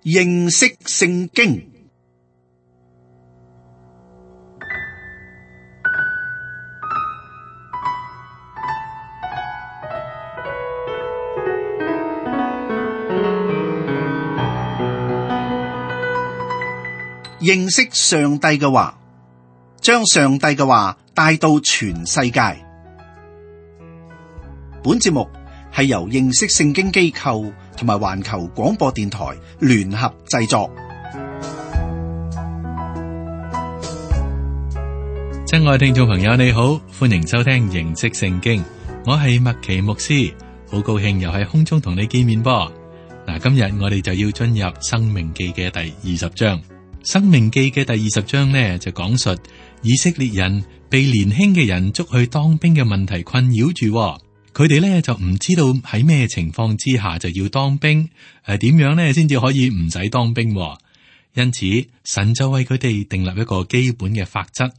認識聖經。認識上帝嘅話，將上帝嘅話帶到全世界。本節目係由認識聖經機構同埋環球廣播電台聯合製作。親愛聽眾朋友，你好，歡迎收聽認識聖經。我係麥奇牧師，好高興又喺空中同你見面噃。嗱，今日我哋就要進入申命記嘅第20章。申命記嘅第20章呢，就講述以色列人被年輕嘅人捉去當兵嘅問題困擾住，佢哋呢就唔知道喺咩情況之下就要當兵，點樣呢先至可以唔使當兵。因此神就為佢哋訂立一個基本嘅法則，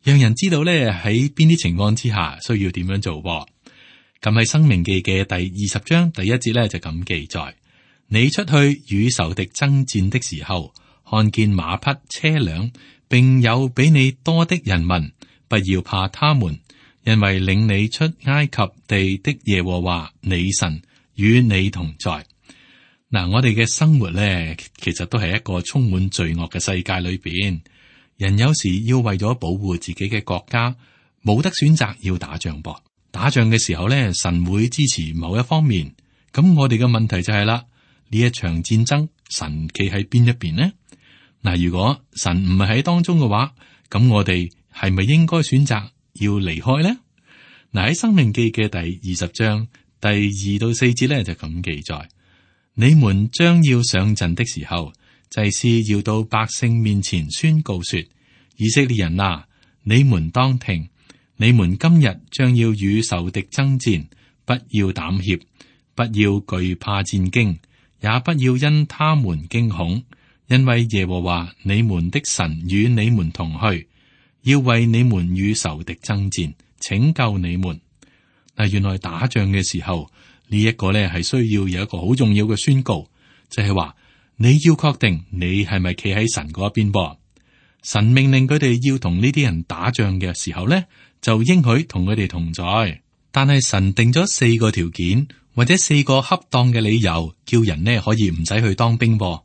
讓人知道呢喺邊啲情況之下需要點樣做。咁喺申命記嘅第20章第1節呢，就咁記載：你出去與仇敵爭戰的時候，看見馬匹、車輛，並有比你多的人民，不要怕他們，因為領你出埃及地的耶和華你神與你同在。嗱，我哋嘅生活咧，其實都係一個充滿罪惡嘅世界裏邊，人有時要為咗保護自己嘅國家，冇得選擇要打仗噃。打仗嘅時候咧，神會支持某一方面。咁我哋嘅問題就係啦，呢一場戰爭，神企喺邊一邊呢？嗱，如果神唔係喺當中嘅話，咁我哋係咪應該選擇要離開呢？嗱，喺申命記嘅第20章第2到4節咧就咁記載：你們將要上陣的時候，祭司要到百姓面前宣告說：以色列人啊，你們當聽，你們今日將要與仇敵爭戰，不要膽怯，不要懼怕戰驚，也不要因他們驚恐。因為耶和華你們的神與你們同去，要為你們與仇敵爭戰，拯救你們。嗱，原來打仗嘅時候，呢一個咧係需要有一個好重要嘅宣告，就係話你要確定你係咪企喺神嗰一邊噃。神命令佢哋要同呢啲人打仗嘅時候咧，就應許同佢哋同在。但係神定咗4個條件，或者4個恰當嘅理由，叫人呢可以唔使去當兵噃。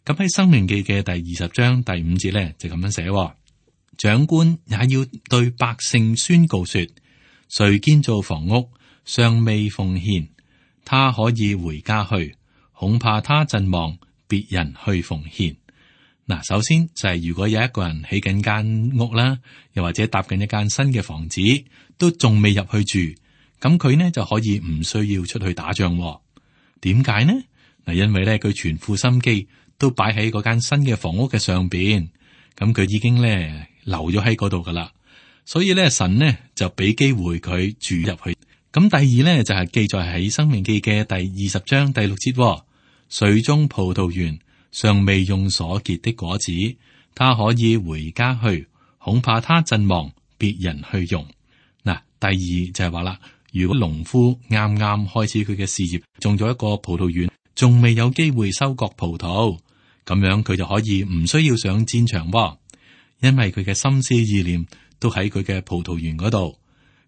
咁喺申命記嘅第20章第5節咧，就咁樣寫：長官也要對百姓宣告說，誰建造房屋尚未奉獻，他可以回家去，恐怕他陣亡，別人去奉獻。嗱，首先就係如果有一個人起緊間屋啦，又或者搭緊一間新嘅房子，都仲未入去住，咁佢呢就可以唔需要出去打仗。點解呢？嗱，因為咧佢全副心機都擺喺嗰間新嘅房屋嘅上邊，咁佢已經咧留咗喺嗰度噶啦，所以咧神呢就俾機會佢住入去。咁第二咧就係記載喺申命記嘅第20章第6節，水中葡萄園尚未用所結的果子，他可以回家去，恐怕他陣亡，別人去用。嗱，第二就係話啦，如果農夫啱啱開始佢嘅事業，種咗一個葡萄園，仲未有機會收割葡萄，咁樣佢就可以唔需要上戰場喎，因為佢嘅心思意念都喺佢嘅葡萄園嗰度。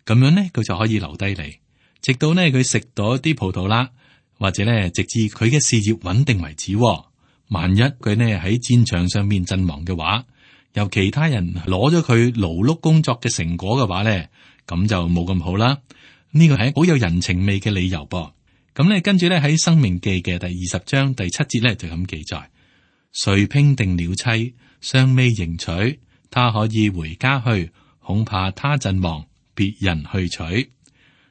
咁樣呢，佢就可以留低嚟，直到呢佢食到啲葡萄啦，或者呢直至佢嘅事業穩定為止喎。萬一佢呢喺戰場上面陣亡嘅話，由其他人攞咗佢勞碌工作嘅成果嘅話呢，咁就冇咁好啦。呢個係好有人情味嘅理由噃。咁咧，跟住咧喺申命記嘅第20章第7節咧就咁記載：誰聘定了妻，尚未迎娶，他可以回家去，恐怕他陣亡，別人去娶。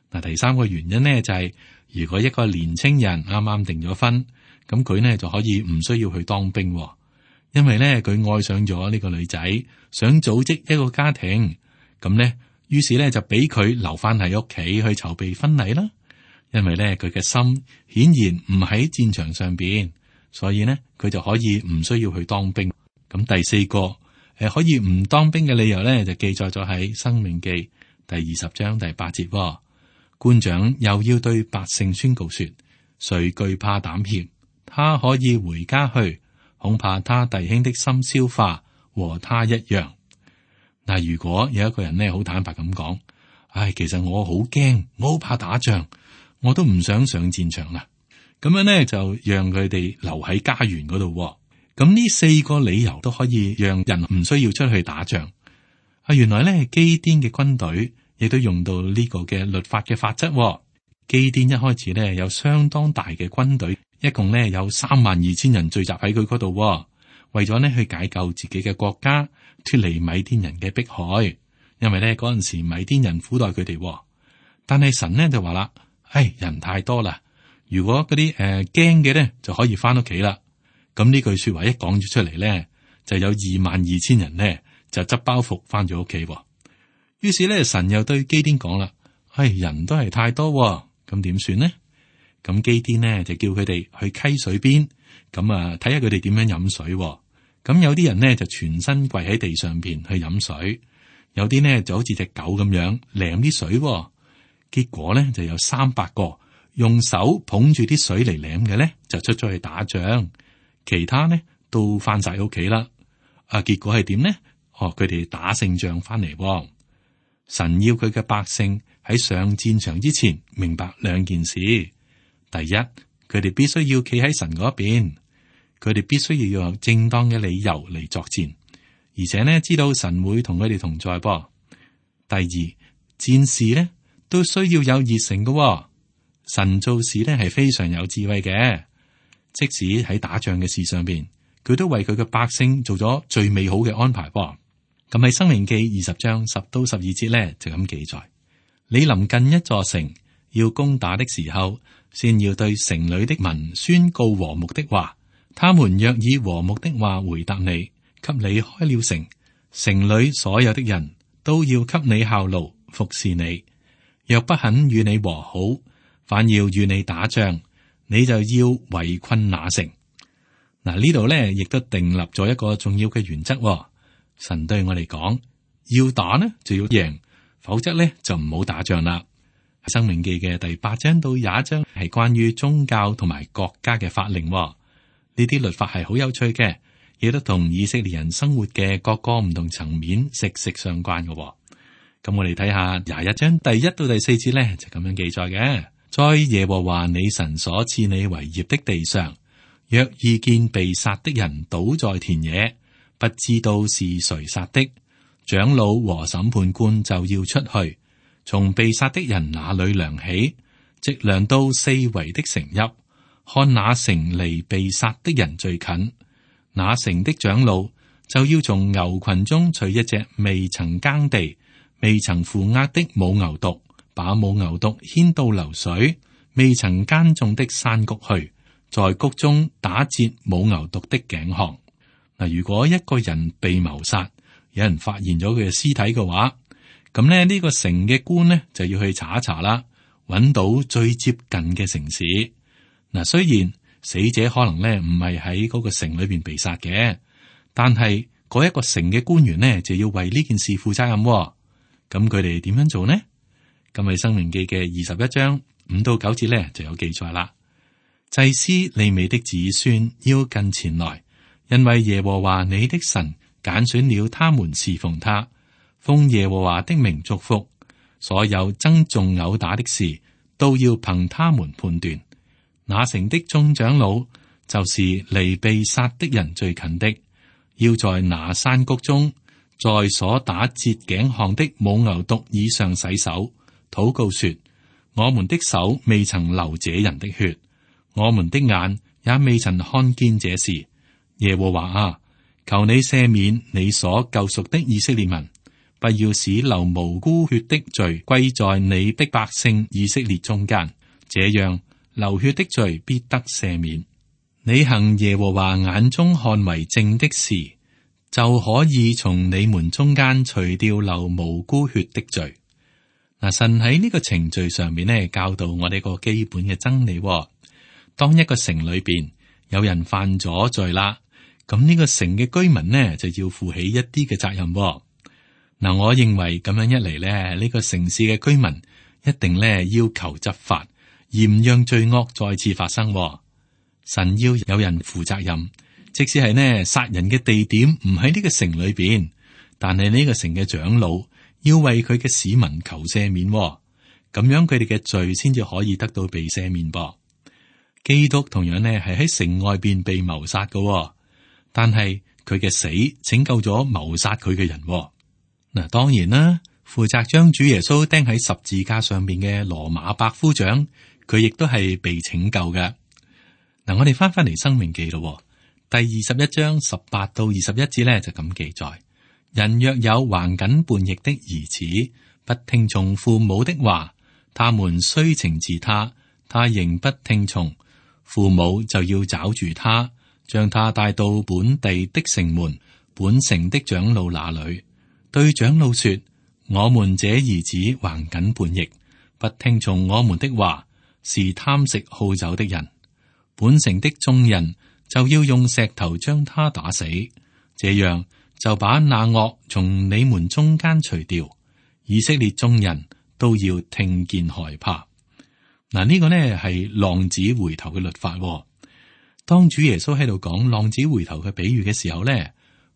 嗱，第三個原因呢，就係，如果一個年青人啱啱訂咗婚，咁佢呢就可以唔需要去當兵，因為呢，佢愛上咗呢個女仔，想組織一個家庭，咁呢，於是呢，就俾佢留翻喺屋企去籌備婚禮啦。因為咧，佢嘅心顯然唔喺戰場上邊，所以呢，佢就可以唔需要去當兵。咁第4個可以唔當兵嘅理由咧，就記載咗喺申命記第20章第8節。官長又要對百姓宣告說：誰懼怕膽怯，他可以回家去，恐怕他弟兄的心消化和他一樣。嗱，如果有一個人呢，好坦白咁講，其實我好驚，我好怕打仗，我都唔想上戰場啦。咁樣呢，就讓佢哋留喺家園嗰度。咁呢4個理由都可以讓人唔需要出去打仗。原來呢，基甸嘅軍隊亦都用到呢個嘅律法嘅法則。基甸一開始呢，有相當大嘅軍隊，一共呢有32000人聚集喺佢嗰度，為咗呢去解救自己嘅國家，脫離米甸人嘅迫害。因為呢嗰陣時米甸人苦待佢哋，但係神呢就話啦，人太多啦，如果嗰啲驚嘅呢就可以翻屋企啦。咁呢句說話一講咗出嚟呢，就有22000人呢就執包袱翻咗屋企。於是呢，神又對基甸講啦，人都係太多，咁點算呢？咁基甸呢就叫佢哋去溪水邊，咁睇下佢哋點樣飲水。咁有啲人呢就全身跪喺地上邊去飲水，有啲呢就好似隻狗咁樣舐啲水。結果呢就有300個用手捧住啲水嚟舐嘅呢，就出咗去打仗，其他呢都翻晒屋企啦。結果係點呢？佢哋打勝仗翻嚟。神要佢嘅百姓喺上戰場之前明白2件事。第一，佢哋必須要企喺神嗰邊，佢哋必須要有正當嘅理由嚟作戰，而且呢知道神會同佢哋同在噃。第二，戰士呢都需要有熱誠嘅。神做事呢係非常有智慧嘅，即使喺打仗嘅事上邊，佢都為佢嘅百姓做咗最美好嘅安排噃。咁喺申命記20章10到12節呢就咁記載：你臨近一座城要攻打的時候，先要對城裏的民宣告和睦的話。他們若以和睦的話回答你，給你開了城，城裏所有的人都要給你效勞服侍你。若不肯與你和好，反要與你打仗，你就要圍困那城。嗱，呢度呢亦都訂立咗一個重要嘅原則。神對我哋講，要打呢就要贏，否則呢就唔好打仗啦。申命記嘅第8章到21章係關於宗教同埋國家嘅法令。呢啲律法係好有趣嘅，亦都同以色列人生活嘅各個唔同層面息息相關嘅。咁我哋睇下21章第1到第4節呢，就咁樣記載嘅：在耶和華你神所賜你為業的地上，若遇見被殺的人倒在田野，不知道是誰殺的，長老和審判官就要出去，從被殺的人那裏量起，直量到四圍的城邑，看那城離被殺的人最近，那城的長老就要從牛群中取一隻未曾耕地、未曾負軛的母牛犢，把母牛犢牽到流水、未曾耕種的山谷去，在谷中打折母牛犢的頸項。嗱，如果一個人被謀殺，有人發現咗佢嘅屍體嘅話，咁咧呢個城嘅官呢就要去查一查啦，揾到最接近嘅城市。嗱，雖然死者可能咧唔係喺嗰個城裏邊被殺嘅，但係嗰一個城嘅官員呢就要為呢件事負責任。咁佢哋點樣做呢？咁喺申命記嘅21章5到9節咧就有記載啦。祭司利未的子孫要近前來，因為耶和華你的神揀選了他們侍奉他，奉耶和華的名祝福。所有爭訟毆打的事都要憑他們判斷。那城的眾長老就是離被殺的人最近的，要在那山谷中，在所打折頸項的母牛犢以上洗手，禱告說：我們的手未曾流這人的血，我們的眼也未曾看見這事。耶和華啊，求你赦免你所救贖的以色列民，不要使流無辜血的罪歸在你的百姓以色列中間，這樣流血的罪必得赦免。你行耶和華眼中看為正的事，就可以從你們中間除掉流無辜血的罪。嗱，神喺呢個程序上面呢，教導我哋個基本嘅真理。當一個城裏邊有人犯咗罪啦，咁呢個城嘅居民呢就要負起一啲嘅責任。嗱，我認為咁樣一嚟咧，呢個城市嘅居民一定咧要求執法，而唔讓罪惡再次發生。神要有人負責任，即使係呢殺人嘅地點唔喺呢個城裏邊，但係呢個城嘅長老要為佢嘅市民求赦免，咁樣佢哋嘅罪先至可以得到被赦免噃。基督同樣呢係喺城外邊被謀殺嘅，但係佢嘅死拯救咗謀殺佢嘅人。嗱，當然啦，負責將主耶穌釘喺十字架上邊嘅羅馬百夫長，佢亦都係被拯救嘅。嗱，我哋翻嚟申命記咯，第21章18到21節咧就咁記載：人若有橫梗叛逆的兒子，不聽從父母的話，他們雖懲治他，他仍不聽從，父母就要抓住他，將他帶到本地的城門，本城的長老那裏，對長老說：我們這兒子橫梗叛逆，不聽從我們的話，是貪食好酒的人。本城的眾人就要用石頭將他打死，這樣就把那惡從你們中間除掉。以色列眾人都要聽見害怕。嗱，呢個呢係浪子回頭嘅律法。當主耶穌喺度講浪子回頭嘅比喻嘅時候呢，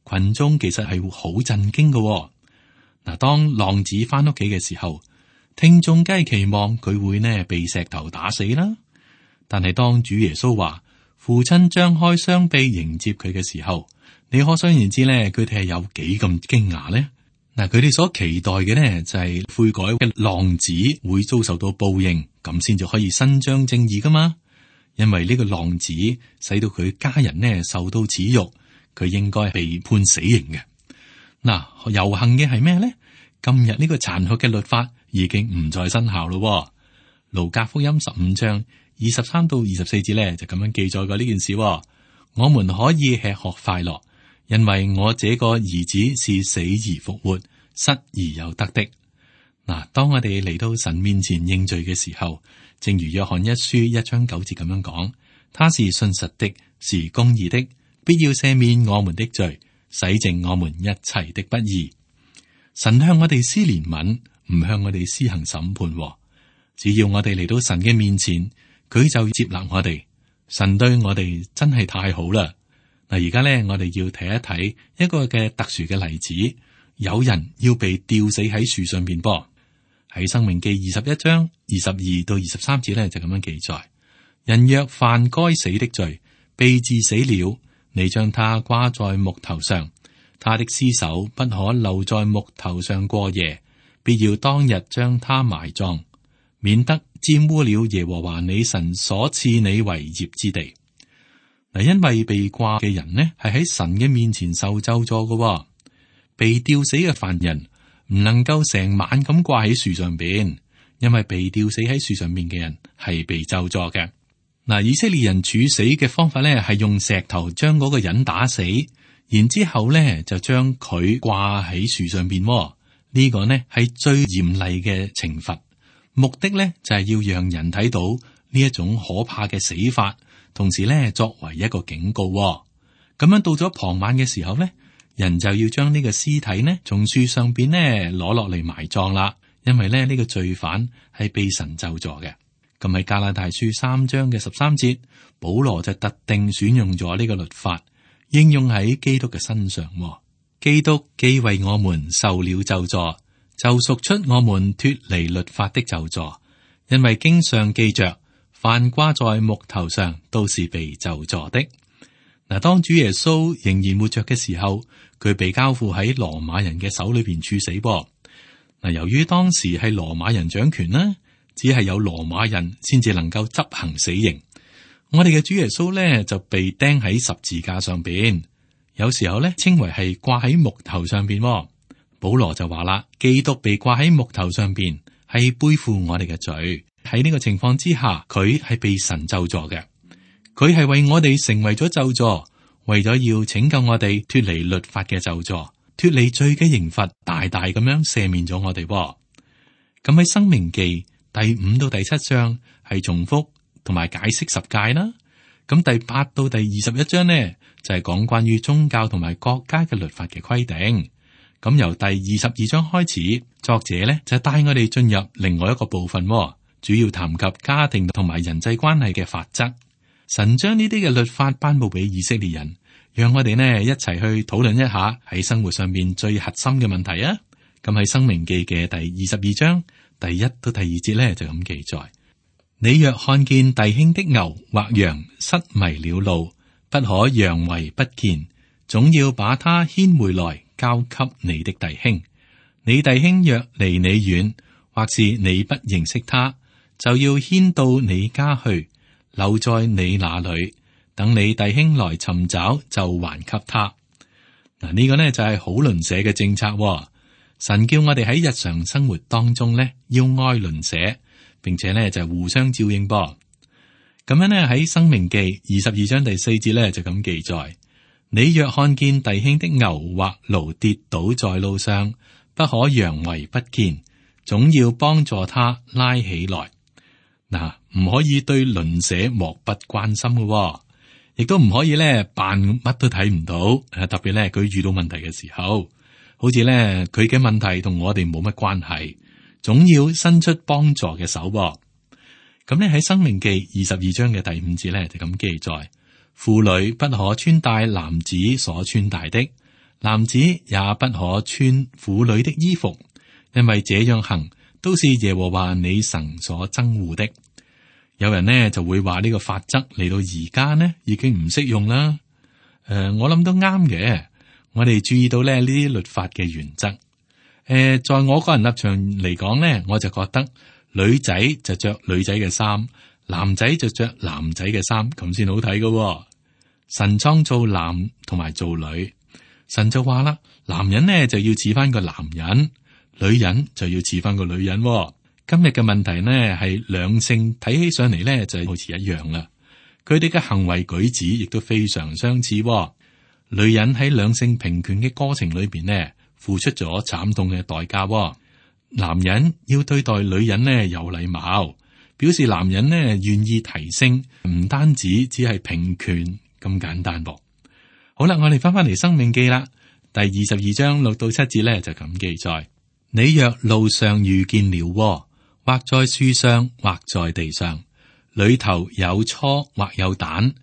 群眾其實係好震驚嘅。嗱，當浪子翻屋企嘅時候，聽眾梗係期望佢會呢被石頭打死啦。但係當主耶穌話父親張開雙臂迎接佢嘅時候，你可想而知呢，佢哋係有幾咁驚訝呢？嗱，佢哋所期待嘅呢就係悔改嘅浪子會遭受到報應，咁先至可以伸張正義噶嘛。因為呢個浪子使到佢家人呢受到恥辱，佢應該被判死刑嘅。嗱，遊行嘅係咩呢？今日呢個殘酷嘅律法已經唔再生效咯。路加福音15章23到24節咧就咁樣記載過呢件事。我們可以吃喝快樂，因為我這個兒子是死而復活，失而有得的。嗱，當我哋嚟到神面前認罪嘅時候，正如約翰一書1章9節咁樣講，他是信實的，是公義的，必要赦免我們的罪，洗淨我們一切的不義。神向我哋施憐憫，唔向我哋施行審判。只要我哋嚟到神嘅面前，佢就接納我哋。神對我哋真係太好啦。嗱，而家咧，我哋要睇一睇一個嘅特殊嘅例子，有人要被吊死喺樹上邊噃。喺申命記21章22到23節咧就咁樣記載：人若犯該死的罪，被治死了，你將他掛在木頭上，他的屍首不可留在木頭上過夜，必要當日將他埋葬，免得沾污了耶和華你神所賜你為業之地。嗱，因為被掛嘅人呢係喺神嘅面前受咒詛嘅，被吊死嘅犯人唔能夠成晚咁掛喺樹上邊，因為被吊死喺樹上面嘅人係被咒詛嘅。嗱，以色列人處死嘅方法咧係用石頭將嗰個人打死，然之後咧就將佢掛喺樹上邊。呢個呢係最嚴厲嘅懲罰。目的咧就係要讓人睇到呢一種可怕嘅死法，同時咧作為一個警告。咁樣到咗傍晚嘅時候咧，人就要將呢個屍體呢從樹上邊呢攞落嚟埋葬啦。因為咧呢個罪犯係被神咒詛嘅。咁喺加拉太書3章嘅13節，保羅就特定選用咗呢個律法，應用喺基督嘅身上。基督既為我們受了咒詛，就贖出我們脫離律法的咒詛，因為經上記着，凡掛在木頭上都是被咒詛的。嗱，當主耶穌仍然活着嘅時候，佢被交付喺羅馬人嘅手裏邊處死噃。嗱，由於當時係羅馬人掌權啦，只係有羅馬人先至能夠執行死刑。我哋嘅主耶穌咧就被釘喺十字架上邊，有時候咧稱為係掛喺木頭上邊。保羅就話啦，基督被掛喺木頭上邊，係背負我哋嘅罪。喺呢個情況之下，佢係被神咒詛嘅。佢係為我哋成為咗咒詛，為咗要拯救我哋脫離律法嘅咒詛，脫離罪嘅刑罰，大大咁樣赦免咗我哋。咁喺申命記第5到第7章係重複同埋解釋十誡啦。咁第8到第21章呢就係講關於宗教同埋國家嘅律法嘅規定。咁由第22章開始，作者呢就帶我哋進入另外一個部分，主要談及家庭同埋人際關係嘅法則。神將呢啲嘅律法頒布俾以色列人，讓我哋呢一齊去討論一下喺生活上面最核心嘅問題啊！咁喺《申命記》嘅第22章第1到第2節呢，就咁記載：你若看見弟兄的牛或羊失迷了路，不可佯為不見，總要把他牽回來交給你的弟兄。你弟兄若離你遠，或是你不認識他，就要牽到你家去，留在你那裏，等你弟兄來尋找，就還給他。嗱，呢個呢就係好鄰舍嘅政策。神叫我哋喺日常生活當中呢，要愛鄰舍，並且呢就互相照應噃。咁樣呢喺《申命記》22章第4節呢就咁記載：你若看見弟兄的牛或驢跌倒在路上，不可佯為不見，總要幫助他拉起來。嗱，唔可以對鄰舍漠不關心嘅，亦都唔可以咧扮乜都睇唔到。特別咧佢遇到問題嘅時候，好似咧佢嘅問題同我哋冇乜關係，總要伸出幫助嘅手。咁咧喺《申命記》22章嘅第5節咧就咁記載：婦女不可穿戴男子所穿戴的，男子也不可穿婦女的衣服，因為這樣行都是耶和華你神所憎惡的。有人呢就會話呢個法則嚟到而家呢已經唔適用啦。我諗都啱嘅。我哋注意到咧呢啲律法嘅原則。在我個人立場嚟講呢，我就覺得女仔就着女仔嘅衫，男仔就着男仔嘅衫，咁先好睇㗎。神創造男同埋做女，神就話啦，男人呢就要似翻個男人，女人就要似翻個女人。今日嘅問題呢係兩性睇起上嚟呢就好似一樣啦，佢哋嘅行為舉止亦都非常相似。女人喺兩性平權嘅過程裏邊呢，付出咗慘痛嘅代價。男人要對待女人呢有禮貌，表示男人呢願意提升，唔單止只係平權咁簡單噃。好啦，我哋翻嚟《申命記》啦，第22章6到7節呢就咁記載：你若路上遇見了窩，或在樹上，或在地上，裏頭有雛或有蛋，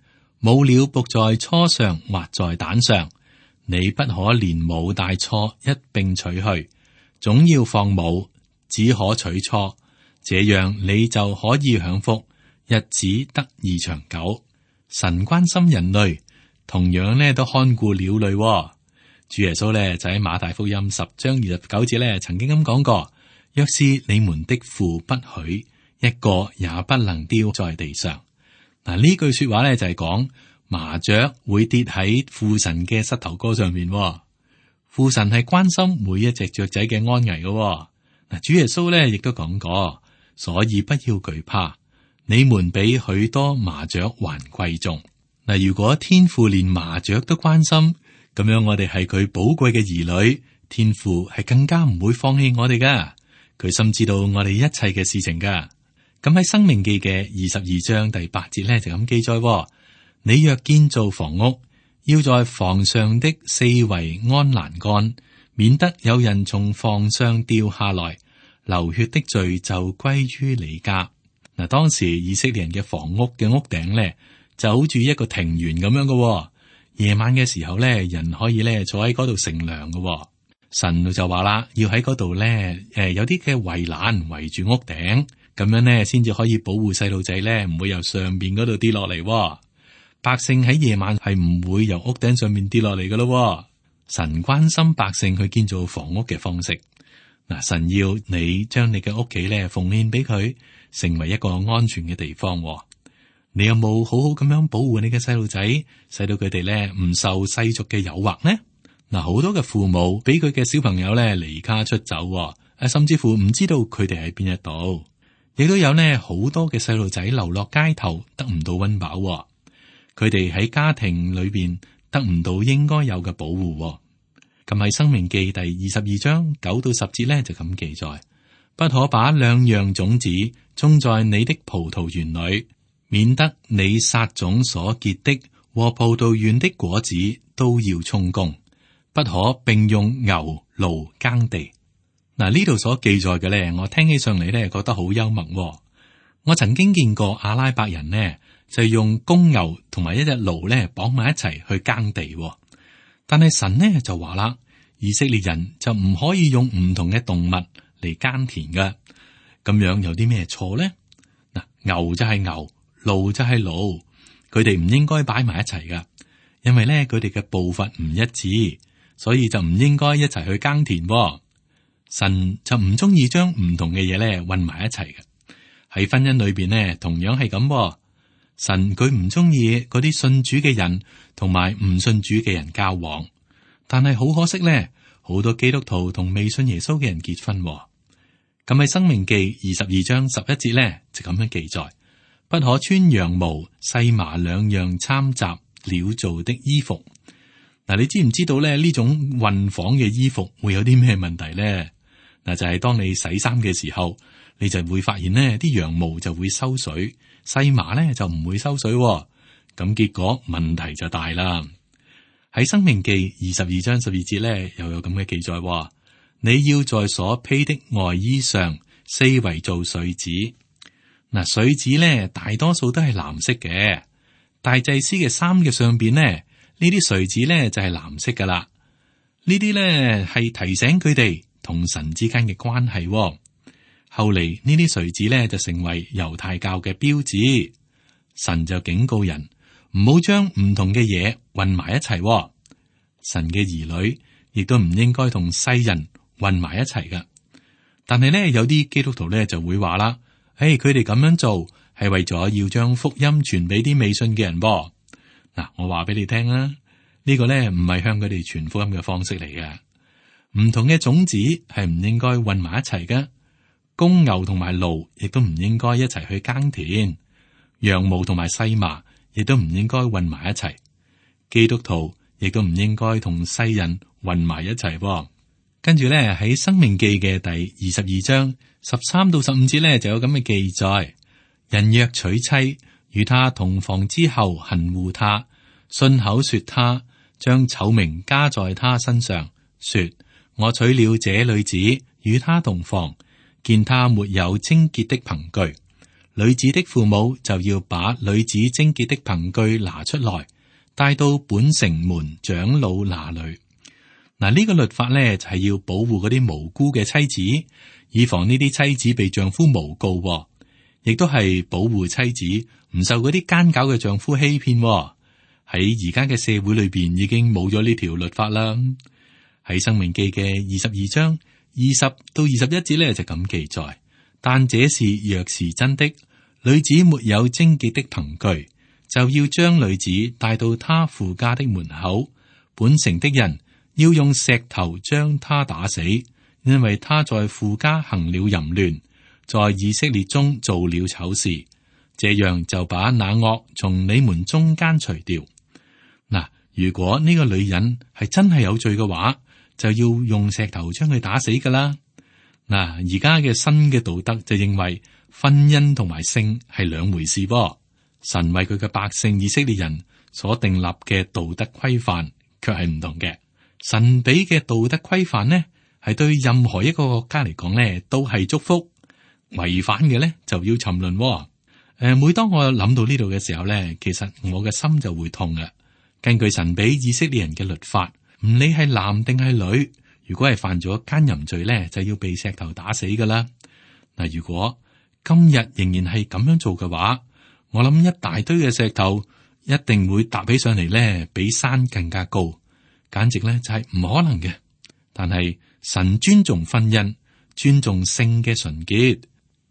母鳥伏在雛上或在蛋上，你不可連母帶雛一併取去，總要放母，只可取雛，這樣你就可以享福，日子得以長久。神關心人類，同樣呢都看顧鳥類。主耶穌呢就喺馬太福音10章29節呢曾經咁講過：若是你們的父不許，一個也不能丟在地上。嗱，呢句說話咧就係講麻雀會跌喺父神嘅膝頭哥上面。父神係關心每一隻雀仔嘅安危嘅。嗱，主耶穌咧亦都講過，所以不要懼怕，你們比許多麻雀還貴重。嗱，如果天父連麻雀都關心，咁樣我哋係佢寶貴嘅兒女，天父係更加唔會放棄我哋噶。佢深知道我哋一切嘅事情噶。咁喺《申命記》嘅22章第8節咧就咁記載：你若建造房屋，要在房上的四圍安欄杆，免得有人從房上掉下來，流血的罪就歸於你家。嗱，當時以色列人嘅房屋嘅屋頂咧就好似一個庭園咁樣嘅。夜晚嘅時候咧，人可以咧坐喺嗰度乘涼嘅。神就話啦，要喺嗰度咧，有啲嘅圍欄圍住屋頂，咁樣咧先至可以保護細路仔咧唔會由上邊嗰度跌落嚟。百姓喺夜晚係唔會由屋頂上面跌落嚟噶咯。神關心百姓去建造房屋嘅方式。嗱，神要你將你嘅屋企咧奉獻俾佢，成為一個安全嘅地方。你有冇好好咁樣保護你嘅細路仔，使到佢哋咧唔受世俗嘅誘惑呢？嗱，好多嘅父母俾佢嘅小朋友咧離家出走，甚至乎唔知道佢哋喺邊一度。亦都有呢好多嘅細路仔流落街頭，得唔到溫飽。佢哋喺家庭裏邊得唔到應該有嘅保護。咁喺《申命記》第22章9到10節咧就咁記載：不可把兩樣種子種在你的葡萄園裏，免得你撒種所結的和葡萄園的果子都要充公。不可並用牛驢耕地。嗱，呢度所記載嘅咧，我聽起上嚟咧覺得好幽默。我曾經見過阿拉伯人呢就用公牛同埋一隻驢咧綁埋一齊去耕地。但係神呢就話啦，以色列人就唔可以用唔同嘅動物嚟耕田㗎。咁樣有啲咩錯呢？嗱，牛就係牛，驢就係驢，佢哋唔應該擺埋一齊噶，因為咧佢哋嘅步伐唔一致，所以就唔應該一齊去耕田。神就唔中意將唔同嘅嘢咧混埋一齊嘅。喺婚姻裏邊呢，同樣係咁。神佢唔中意嗰啲信主嘅人同埋唔信主嘅人交往，但係好可惜咧，好多基督徒同未信耶穌嘅人結婚。咁喺《申命記》22章11節咧就咁樣記載：不可穿羊毛、細麻兩樣摻雜料做的衣服。嗱，你知唔知道咧呢種混紡嘅衣服會有啲咩問題咧？嗱，就係當你洗衫嘅時候，你就會發現呢啲羊毛就會收水，細麻咧就唔會收水，咁結果問題就大啦。喺《申命記》22章12節咧又有咁嘅記載：你要在所披的外衣上四圍做穗子。嗱，穗子咧大多數都係藍色嘅，大祭司嘅衫嘅上邊呢，呢啲穗子咧就係藍色噶啦。呢啲咧係提醒佢哋同神之間嘅關係。後嚟呢啲穗子咧就成為猶太教嘅標誌。神就警告人唔好將唔同嘅嘢混埋一齊。神嘅兒女亦都唔應該同世人混埋一齊噶。但係咧有啲基督徒咧就會話啦，佢哋咁樣做係為咗要將福音傳俾啲未信嘅人噃。嗱，我話俾你聽啦，呢個咧唔係向佢哋傳福音嘅方式嚟嘅。唔同嘅種子係唔應該混埋一齊嘅。公牛同埋驢亦都唔應該一齊去耕田，羊毛同埋細麻亦都唔應該混埋一齊。基督徒亦都唔應該同世人混埋一齊。跟住咧喺《申命記》嘅第22章13到15節咧就有咁嘅記載：人若娶妻，與他同房之後恨惡他，信口說他，將醜名加在他身上，說我娶了這女子與他同房，見他沒有貞潔的憑據，女子的父母就要把女子貞潔的憑據拿出來，帶到本城門長老那裏。嗱，呢個律法咧就係要保護嗰啲無辜嘅妻子，以防呢啲妻子被丈夫誣告，亦都係保護妻子唔受嗰啲奸狡嘅丈夫欺騙。喺而家嘅社會裏邊已經冇咗呢條律法啦。喺申命記嘅22章20到21節咧就咁記載：但這事若是真的，女子沒有貞潔的憑據，就要將女子帶到她父家的門口，本城的人要用石頭將她打死，因為她在父家行了淫亂，在以色列中做了醜事，這樣就把那惡從你們中間除掉。嗱，如果呢個女人係真係有罪嘅話，就要用石頭將佢打死噶啦。嗱，而家嘅新嘅道德就認為婚姻同埋性係兩回事噃。神為佢嘅百姓以色列人所訂立嘅道德規範卻係唔同嘅。神俾嘅道德規範呢，係對任何一個國家嚟講呢都係祝福，違反嘅呢就要沉淪。每當我諗到呢度嘅時候呢，其實我嘅心就會痛嘅。根據神俾以色列人嘅律法，唔理係男定係女，如果係犯咗奸淫罪呢，就要被石頭打死噶啦。嗱，如果今日仍然係咁樣做嘅話，我諗一大堆嘅石頭一定會搭起上嚟呢，比山更加高。簡直咧就係唔可能嘅，但係神尊重婚姻，尊重性嘅純潔。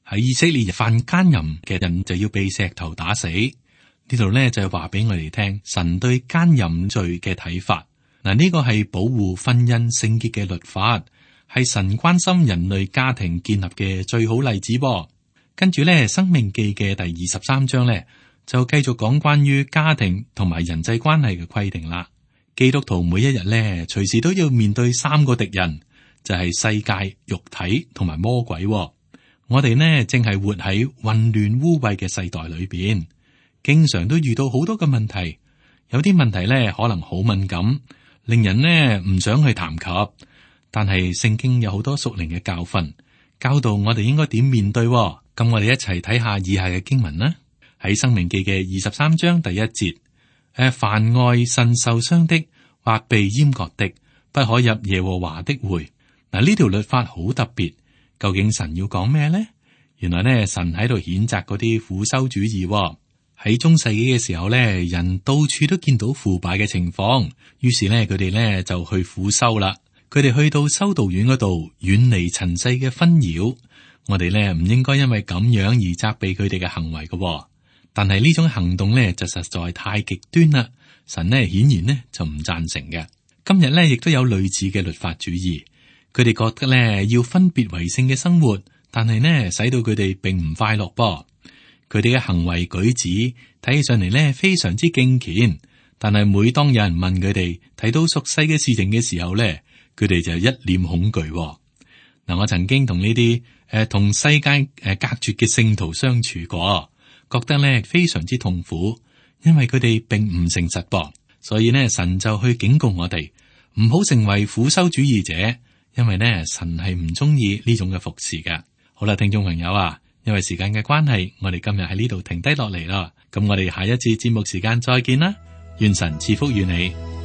喺以色列犯奸淫嘅人就要被石頭打死。呢度咧就係話俾我哋聽，神對奸淫罪嘅睇法。嗱，呢個係保護婚姻聖潔嘅律法，係神關心人類家庭建立嘅最好例子噃。跟住咧，《申命記》嘅第23章咧就繼續講關於家庭同埋人際關係嘅規定啦。基督徒每一日咧，隨時都要面對三個敵人，就係世界、肉體同埋魔鬼。我哋呢，正係活喺混亂污穢嘅世代裏邊，經常都遇到好多嘅問題。有啲問題咧，可能好敏感，令人呢唔想去談及。但係聖經有好多屬靈嘅教訓，教導我哋應該點面對。咁我哋一齊睇下以下嘅經文啦。喺申命記嘅23章第1節，凡外腎受傷的或被閹割的，不可入耶和華的會。嗱，呢條律法好特別，究竟神要講咩呢？原來呢，神喺度譴責嗰啲苦修主義喎。喺中世紀嘅時候呢，人到處都見到腐敗嘅情況，於是呢，佢哋呢就去苦修啦。佢哋去到修道院嗰度，遠離塵世嘅紛擾。我哋呢唔應該因為咁樣而責備佢哋嘅行為嘅喎。但係呢種行動呢就實在太極端啦。神呢顯然呢就唔贊成嘅。今日呢亦都有類似嘅律法主義。佢哋覺得咧要分別為聖嘅生活，但係呢使到佢哋並唔快樂噃。佢哋嘅行為舉止睇起上嚟咧非常之敬虔，但係每當有人問佢哋睇到屬世嘅事情嘅時候咧，佢哋就一臉恐懼。嗱，我曾經同呢啲同世界隔絕嘅聖徒相處過，覺得咧非常之痛苦，因為佢哋並唔誠實噃。所以呢，神就去警告我哋唔好成為苦修主義者。因為呢，神係唔中意呢種嘅服侍嘅。好啦，聽眾朋友啊，因為時間嘅關係，我哋今日喺呢度停低落嚟啦。咁我哋下一次節目時間再見啦。願神賜福於你。